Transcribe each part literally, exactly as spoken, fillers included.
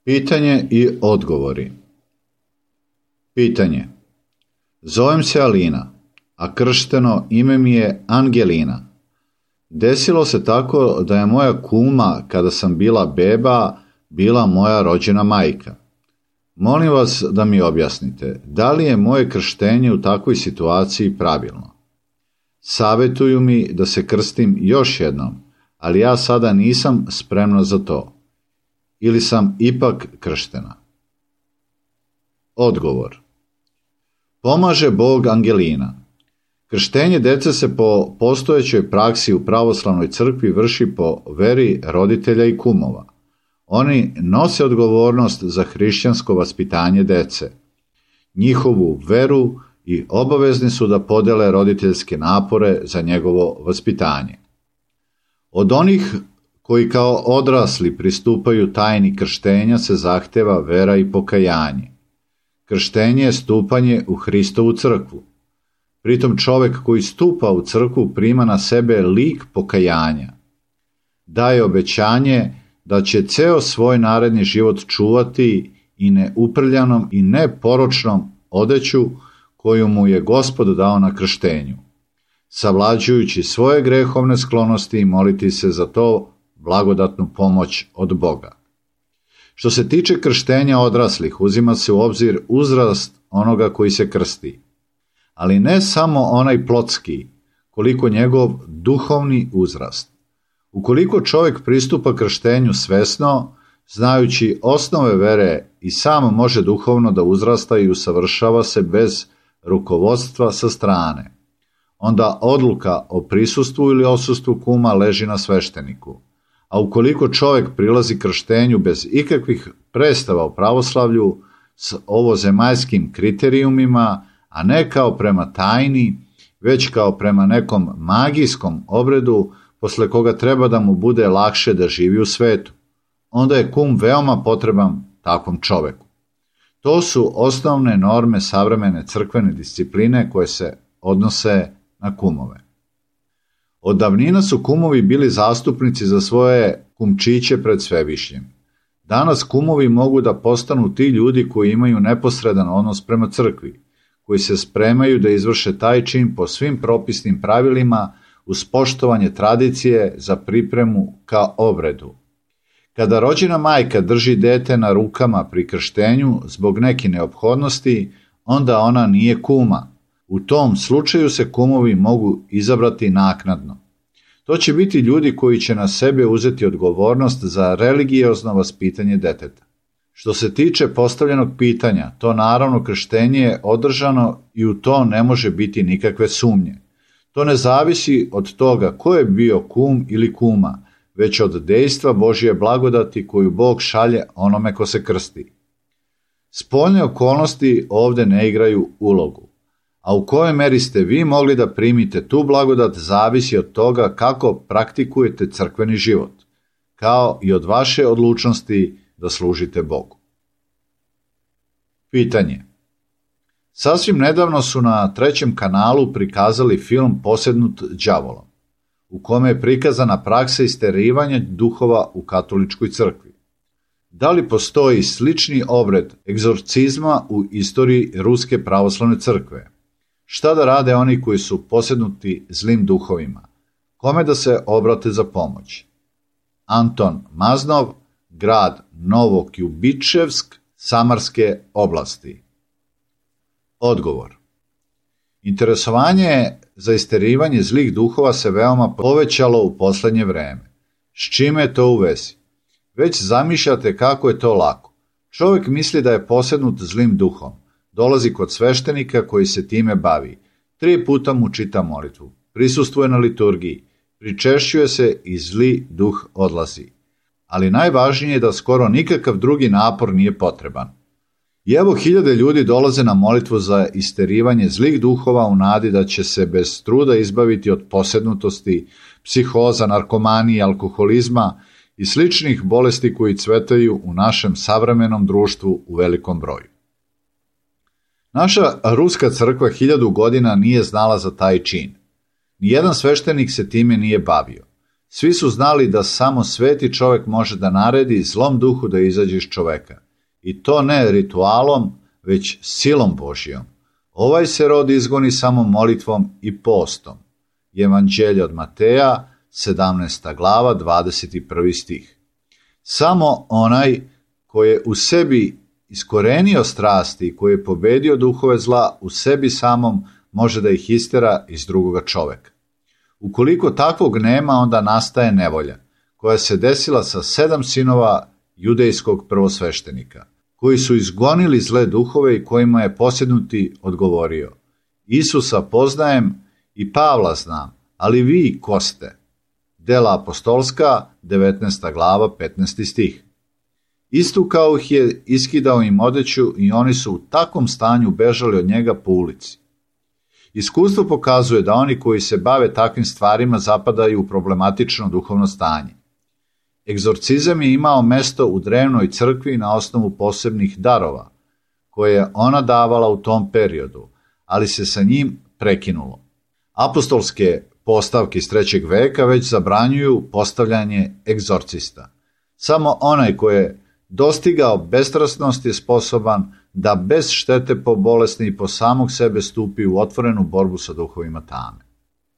Pitanje i odgovori. Pitanje. Zovem se Alina, a kršteno ime mi je Angelina. Desilo se tako da je moja kuma, kada sam bila beba, bila moja rođena majka. Molim vas da mi objasnite, da li je moje krštenje u takvoj situaciji pravilno? Savetuju mi da se krstim još jednom, ali ja sada nisam spremna za to. Ili sam ipak krštena? Odgovor. Pomaže Bog Angelina. Krštenje dece se po postojećoj praksi u pravoslavnoj crkvi vrši po veri roditelja i kumova. Oni nose odgovornost za hrišćansko vaspitanje dece, njihovu veru i obavezni su da podele roditeljske napore za njegovo vaspitanje. Od onih koji kao odrasli pristupaju tajni krštenja se zahteva vera i pokajanje. Krštenje je stupanje u Hristovu crkvu. Pritom čovek koji stupa u crkvu prima na sebe lik pokajanja. Daje obećanje da će ceo svoj naredni život čuvati i neuprljanom i neporočnom odeću koju mu je Gospod dao na krštenju, savlađujući svoje grehovne sklonosti i moliti se za to blagodatnu pomoć od Boga. Što se tiče krštenja odraslih, uzima se u obzir uzrast onoga koji se krsti, ali ne samo onaj plotski, koliko njegov duhovni uzrast. Ukoliko čovjek pristupa krštenju svesno, znajući osnove vere i sam može duhovno da uzrasta i usavršava se bez rukovodstva sa strane, onda odluka o prisustvu ili odsustvu kuma leži na svešteniku. A ukoliko čovjek prilazi krštenju bez ikakvih predstava u pravoslavlju s ovozemaljskim kriterijumima, a ne kao prema tajni, već kao prema nekom magijskom obredu, posle koga treba da mu bude lakše da živi u svetu, onda je kum veoma potreban takvom čoveku. To su osnovne norme savremene crkvene discipline koje se odnose na kumove. Od davnina su kumovi bili zastupnici za svoje kumčiće pred Svevišnjim. Danas kumovi mogu da postanu ti ljudi koji imaju neposredan odnos prema crkvi, koji se spremaju da izvrše taj čin po svim propisnim pravilima uz poštovanje tradicije za pripremu ka obredu. Kada rođena majka drži dete na rukama pri krštenju zbog neke neophodnosti, onda ona nije kuma. U tom slučaju se kumovi mogu izabrati naknadno. To će biti ljudi koji će na sebe uzeti odgovornost za religiozno vaspitanje deteta. Što se tiče postavljenog pitanja, to naravno krštenje je održano i u to ne može biti nikakve sumnje. To ne zavisi od toga ko je bio kum ili kuma, već od dejstva Božje blagodati koju Bog šalje onome ko se krsti. Spoljne okolnosti ovde ne igraju ulogu, a u kojoj meri ste vi mogli da primite tu blagodat zavisi od toga kako praktikujete crkveni život, kao i od vaše odlučnosti da služite Bogu. Pitanje. Sasvim nedavno su na trećem kanalu prikazali film Posednut đavolom, u kome je prikazana praksa isterivanja duhova u katoličkoj crkvi. Da li postoji slični obred egzorcizma u istoriji Ruske pravoslavne crkve? Šta da rade oni koji su posednuti zlim duhovima? Kome da se obrate za pomoć? Anton Maznov, grad Novokjubičevsk, Samarske oblasti. Odgovor. Interesovanje za isterivanje zlih duhova se veoma povećalo u poslednje vreme. S čime je to u vezi? Već zamišljate kako je to lako. Čovjek misli da je posednut zlim duhom. Dolazi kod sveštenika koji se time bavi. Tri puta mu čita molitvu. Prisustvuje na liturgiji. Pričešćuje se i zli duh odlazi. Ali najvažnije je da skoro nikakav drugi napor nije potreban. I evo hiljade ljudi dolaze na molitvu za isterivanje zlih duhova u nadi da će se bez truda izbaviti od posednutosti, psihoza, narkomanije, alkoholizma i sličnih bolesti koji cvetaju u našem savremenom društvu u velikom broju. Naša ruska crkva hiljadu godina nije znala za taj čin. Nijedan sveštenik se time nije bavio. Svi su znali da samo sveti čovjek može da naredi zlom duhu da izađe iz čoveka. I to ne ritualom, već silom Božijom. Ovaj se rod izgoni samo molitvom i postom. Evanđelje od Mateja, sedamnaesta glava, dvadeset prvi stih. Samo onaj koji je u sebi iskorenio strasti, koji je pobedio duhove zla u sebi samom, može da ih istera iz drugoga čoveka. Ukoliko takvog nema, onda nastaje nevolja, koja se desila sa sedam sinova judejskog prvosveštenika, koji su izgonili zle duhove i kojima je posjednuti odgovorio: Isusa poznajem i Pavla znam, ali vi ko ste? Dela apostolska, devetnaesta glava, petnaesti stih. Isto kao ih je iskidao im odeću i oni su u takvom stanju bežali od njega po ulici. Iskustvo pokazuje da oni koji se bave takvim stvarima zapadaju u problematično duhovno stanje. Egzorcizam je imao mesto u drevnoj crkvi na osnovu posebnih darova, koje je ona davala u tom periodu, ali se sa njim prekinulo. Apostolske postavke iz trećeg veka već zabranjuju postavljanje egzorcista. Samo onaj koji je dostigao bestrasnost je sposoban da bez štete po bolesni i po samog sebe stupi u otvorenu borbu sa duhovima tame.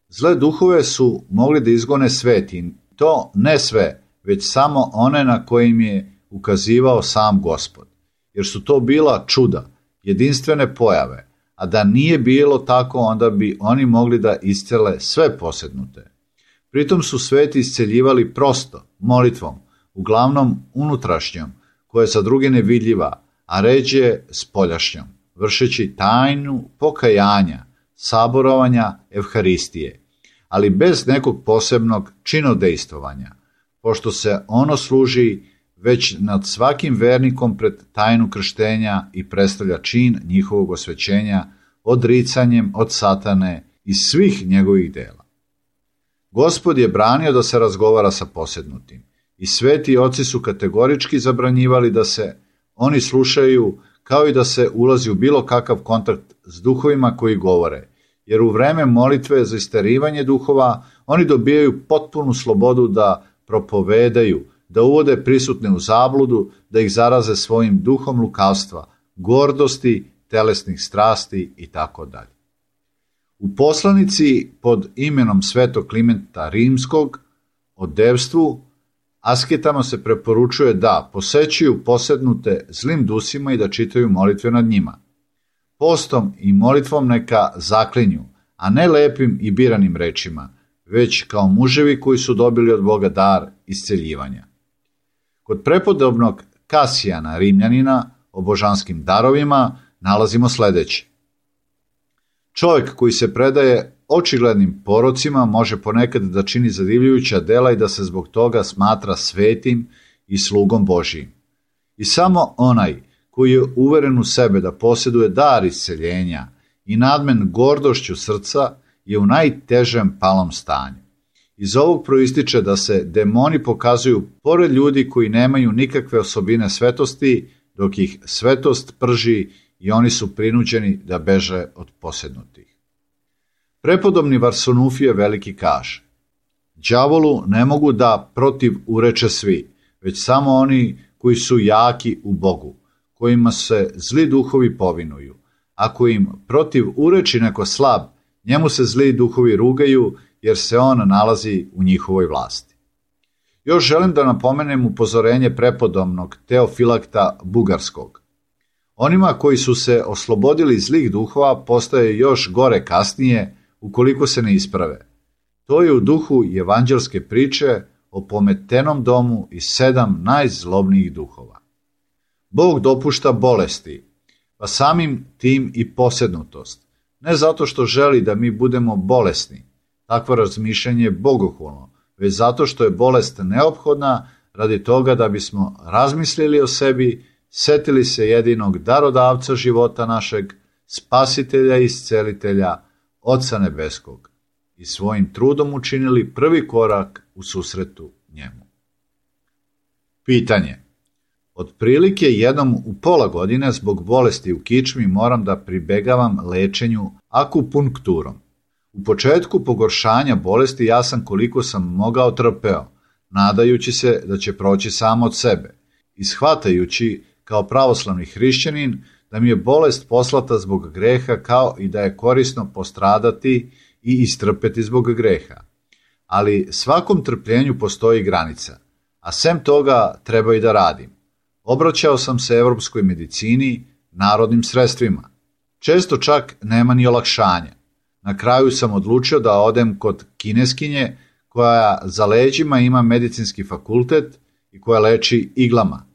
Zle duhove su mogli da izgone sveti, to ne sve, već samo one na kojim je ukazivao sam Gospod, jer su to bila čuda, jedinstvene pojave, a da nije bilo tako, onda bi oni mogli da iscele sve posednute. Pritom su sveti isceljivali prosto, molitvom, uglavnom unutrašnjom, koja je za druge nevidljiva, a ređe spoljašnjom, vršeći tajnu pokajanja, saborovanja, evharistije, ali bez nekog posebnog činodejstvovanja, pošto se ono služi već nad svakim vernikom pred tajnu krštenja i predstavlja čin njihovog osvećenja odricanjem od satane i svih njegovih dela. Gospod je branio da se razgovara sa posednutim i sveti oci su kategorički zabranjivali da se oni slušaju, kao i da se ulazi u bilo kakav kontakt s duhovima koji govore, jer u vreme molitve za isterivanje duhova oni dobijaju potpunu slobodu da propovedaju, da uvode prisutne u zabludu, da ih zaraze svojim duhom lukavstva, gordosti, telesnih strasti i tako dalje. U poslanici pod imenom Svetog Klimenta Rimskog o devstvu, asketama se preporučuje da posećuju posednute zlim dusima i da čitaju molitve nad njima. Postom i molitvom neka zaklinju, a ne lepim i biranim rečima, već kao muževi koji su dobili od Boga dar isceljivanja. Kod prepodobnog Kasijana Rimljanina o božanskim darovima nalazimo sledeće. Čovjek koji se predaje očiglednim porocima može ponekad da čini zadivljujuća dela i da se zbog toga smatra svetim i slugom Božijim. I samo onaj koji je uveren u sebe da posjeduje dar isceljenja i nadmen gordošću srca je u najtežem palom stanju. Iz ovog proističe da se demoni pokazuju pored ljudi koji nemaju nikakve osobine svetosti, dok ih svetost prži i oni su prinuđeni da beže od posednutih. Prepodobni Varsanufije veliki kaže: đavolu ne mogu da protiv ureče svi, već samo oni koji su jaki u Bogu, kojima se zli duhovi povinuju. Ako im protiv ureči neko slab, njemu se zli duhovi rugaju, jer se on nalazi u njihovoj vlasti. Još želim da napomenem upozorenje prepodobnog Teofilakta Bugarskog. Onima koji su se oslobodili zlih duhova postaje još gore kasnije ukoliko se ne isprave. To je u duhu evanđelske priče o pometenom domu i sedam najzlobnijih duhova. Bog dopušta bolesti, pa samim tim i posednutost, ne zato što želi da mi budemo bolesni, takvo razmišljanje je bogohulno, već zato što je bolest neophodna radi toga da bismo razmislili o sebi, setili se jedinog darodavca života našeg, spasitelja i iscelitelja, Oca nebeskog, i svojim trudom učinili prvi korak u susretu njemu. Pitanje. Otprilike jednom u pola godine zbog bolesti u kičmi moram da pribegavam lečenju akupunkturom. U početku pogoršanja bolesti ja sam koliko sam mogao trpeo, nadajući se da će proći samo od sebe i shvatajući kao pravoslavni hrišćanin da mi je bolest poslata zbog greha kao i da je korisno postradati i istrpeti zbog greha. Ali svakom trpljenju postoji granica, a sem toga treba i da radim. Obraćao sam se evropskoj medicini, narodnim sredstvima. Često čak nema ni olakšanja. Na kraju sam odlučio da odem kod kineskinje koja za leđima ima medicinski fakultet i koja leči iglama.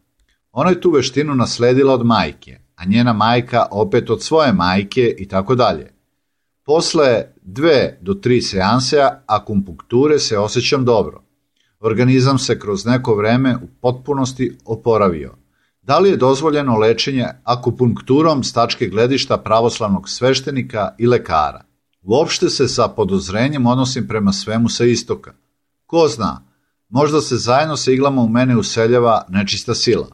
Ona je tu veštinu nasledila od majke, a njena majka opet od svoje majke i tako dalje. Posle dve do tri seanse akupunkture se osjećam dobro. Organizam se kroz neko vreme u potpunosti oporavio. Da li je dozvoljeno lečenje akupunkturom s tačke gledišta pravoslavnog sveštenika i lekara? Uopšte se sa podozrenjem odnosim prema svemu sa istoka. Ko zna, možda se zajedno sa iglama u mene useljava nečista sila.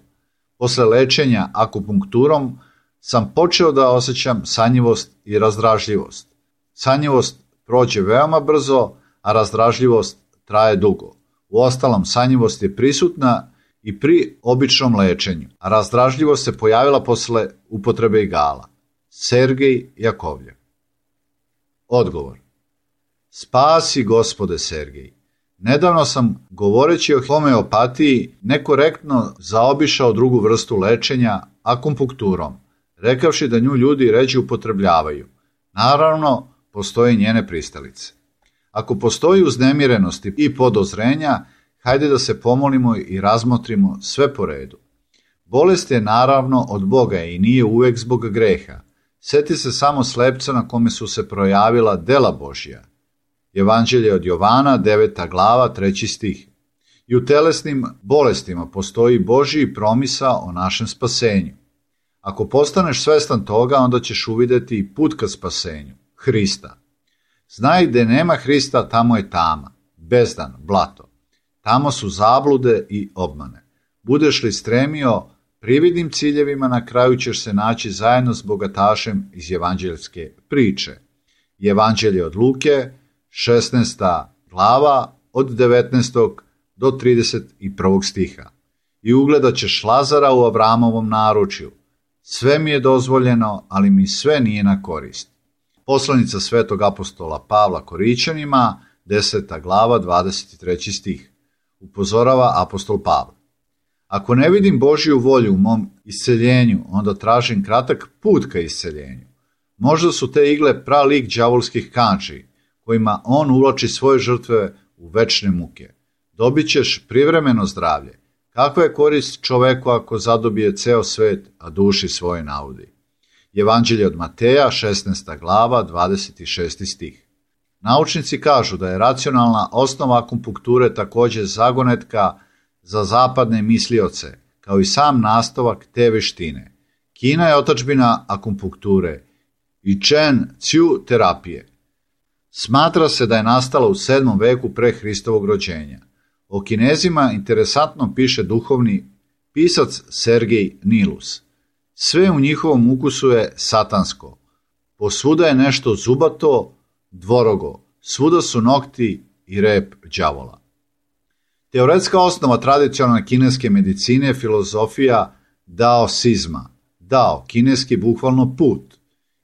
Posle lečenja akupunkturom sam počeo da osjećam sanjivost i razdražljivost. Sanjivost prođe veoma brzo, a razdražljivost traje dugo. Uostalom, sanjivost je prisutna i pri običnom lečenju, a razdražljivost se pojavila posle upotrebe igala. Sergej Jakovljev. Odgovor. Spasi Gospode Sergej. Nedavno sam, govoreći o homeopatiji, nekorektno zaobišao drugu vrstu lečenja akupunkturom, rekavši da nju ljudi ređe upotrebljavaju. Naravno, postoje njene pristalice. Ako postoji uznemirenost i podozrenja, hajde da se pomolimo i razmotrimo sve po redu. Bolest je naravno od Boga i nije uvek zbog greha. Seti se samo slepca na kome su se projavila dela Božja. Evanđelje od Jovana, deveta glava, treći stih. I u telesnim bolestima postoji Božji promisao o našem spasenju. Ako postaneš svestan toga, onda ćeš uvideti i put ka spasenju, Hrista. Znaj gde nema Hrista, tamo je tama, bezdan, blato. Tamo su zablude i obmane. Budeš li stremio prividnim ciljevima, na kraju ćeš se naći zajedno s bogatašem iz evanđeljske priče. Evanđelje od Luke, šesnaesta glava, od devetnaestog do trideset prvog stiha. I ugledat ćeš Lazara u Avramovom naručju. Sve mi je dozvoljeno, ali mi sve nije na korist. Poslanica svetog apostola Pavla Korićanima, deseta glava, dvadeset treći stih. Upozorava apostol Pavle. Ako ne vidim Božju volju u mom isceljenju, onda tražim kratak put ka isceljenju. Možda su te igle pralik đavolskih kanči, kojima on uvlači svoje žrtve u večne muke. Dobit ćeš privremeno zdravlje. Kakva je korist čoveku ako zadobije ceo svet, a duši svoje naudi? Evanđelje od Mateja, šesnaesta glava, dvadeset šesti stih. Naučnici kažu da je racionalna osnova akupunkture takođe zagonetka za zapadne mislioce, kao i sam nastavak te veštine. Kina je otadžbina akupunkture i Čen Ciu terapije. Smatra se da je nastala u sedmom veku pre Hristovog rođenja. O Kinezima interesantno piše duhovni pisac Sergej Nilus. Sve u njihovom ukusu je satansko. Posvuda je nešto zubato, dvorogo, svuda su nokti i rep đavola. Teoretska osnova tradicionalne kineske medicine je filozofija daosizma. Dao, kineski bukvalno put,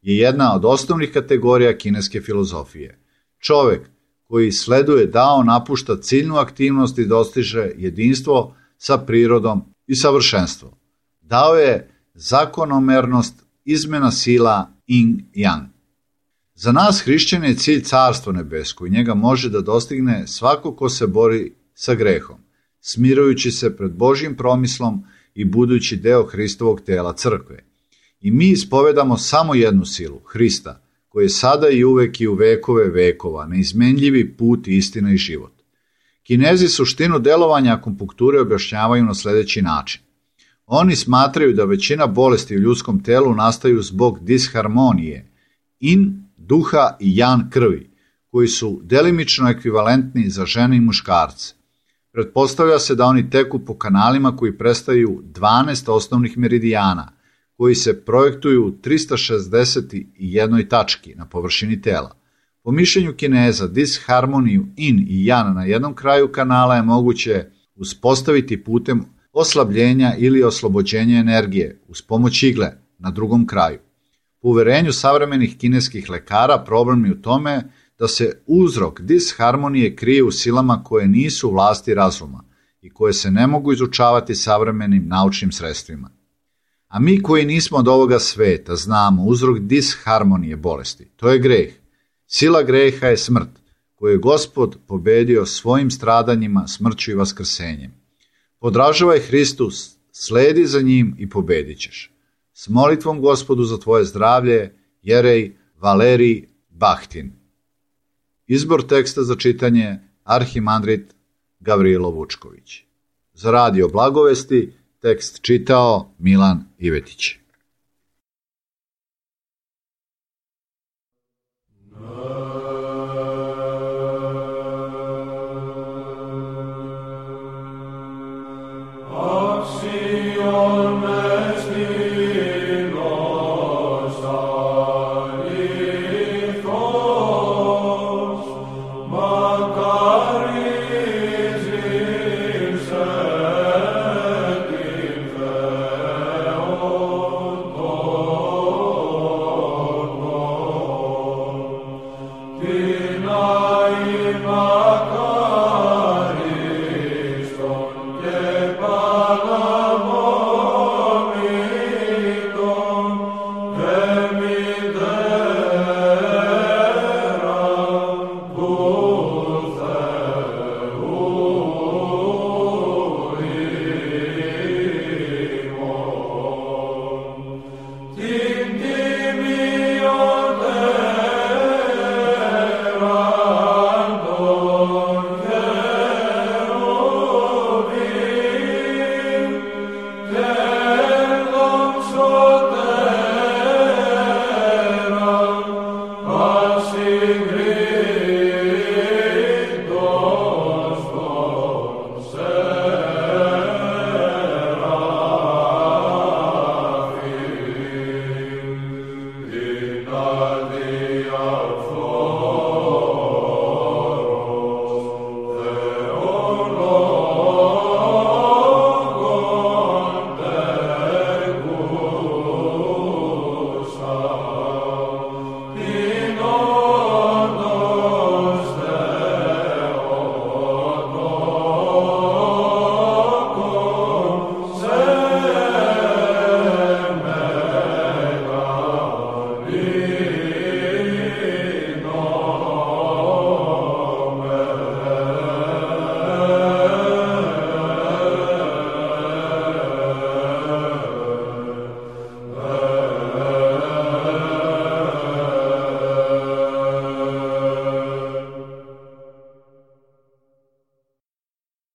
je jedna od osnovnih kategorija kineske filozofije. Čovek koji sleduje dao napušta ciljnu aktivnost i dostiže jedinstvo sa prirodom i savršenstvo. Dao je zakonomernost, izmena sila yin-yang. Za nas hrišćane je cilj carstvo nebesko i njega može da dostigne svako ko se bori sa grehom, smirujući se pred Božjim promislom i budući deo Hristovog tela crkve. I mi ispovedamo samo jednu silu, Hrista, koji je sada i uvek i u vekove vekova, neizmenljivi put, istina i život. Kinezi suštinu delovanja akupunkture objašnjavaju na sledeći način. Oni smatraju da većina bolesti u ljudskom telu nastaju zbog disharmonije, in duha i jan krvi, koji su delimično ekvivalentni za žene i muškarce. Pretpostavlja se da oni teku po kanalima koji predstavljaju dvanaest osnovnih meridijana, koji se projektuju u trista šezdeset jednoj tački na površini tela. Po mišljenju Kineza, disharmoniju in i yang na jednom kraju kanala je moguće uspostaviti putem oslabljenja ili oslobođenja energije uz pomoć igle na drugom kraju. Po uverenju savremenih kineskih lekara, problem je u tome da se uzrok disharmonije krije u silama koje nisu u vlasti razuma i koje se ne mogu izučavati savremenim naučnim sredstvima. A mi koji nismo od ovoga sveta znamo uzrok disharmonije bolesti. To je greh. Sila greha je smrt, koju je Gospod pobedio svojim stradanjima, smrću i vaskrsenjem. Podražavaj Hristus, sledi za njim i pobedit ćeš. S molitvom Gospodu za tvoje zdravlje, Jerej Valerij Bahtin. Izbor teksta za čitanje arhimandrit Gavrilo Vučković. Za radio Blagovesti tekst čitao Milan Ivetić. Amen.